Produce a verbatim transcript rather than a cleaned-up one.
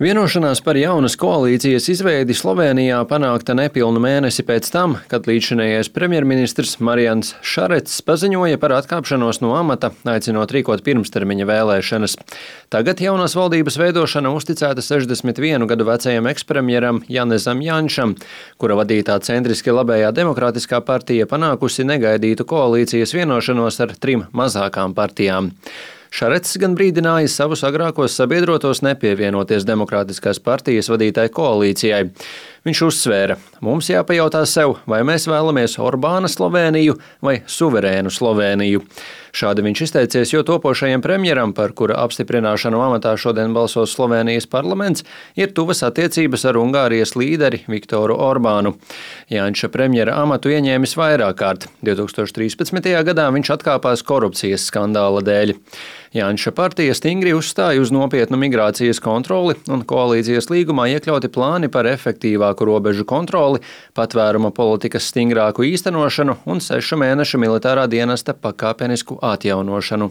Vienošanās par jaunas koalīcijas izveidi Slovēnijā panākta nepilnu mēnesi pēc tam, kad līdzšinējais premjerministrs Marians Šarets paziņoja par atkāpšanos no amata, aicinot rīkot pirmstermiņa vēlēšanas. Tagad jaunās valdības veidošana uzticēta sešdesmit vienu gadu vecajam ekspremjeram Janezam Janšam, kura vadītā centriski labējā demokrātiskā partija panākusi negaidītu koalīcijas vienošanos ar trim mazākām partijām. Šarets gan brīdināja savus agrākos sabiedrotos nepievienoties Demokrātiskās partijas vadītai koalīcijai. Viņš uzsvēra, mums jāpajautā sev, vai mēs vēlamies Orbāna Slovēniju vai suverēnu Slovēniju. Šādi viņš izteicies, jo topošajam premjeram, par kura apstiprināšanu amatā šodien balsos Slovēnijas parlaments, ir tuvas attiecības ar Ungārijas līderi Viktoru Orbānu. Janša premjera amatu ieņēmis vairāk kārt. divs tūkstoši trīspadsmitajā gadā viņš atkāpās korupcijas skandāla dēļ. Janša partija stingri uzstāja uz nopietnu migrācijas kontroli un koalīcijas līgumā iekļauti plāni par efektīvāku robežu kontroli, patvēruma politikas stingrāku īstenošanu un sešu mēnešu militārā dienesta pakāpenisku atjaunošanu.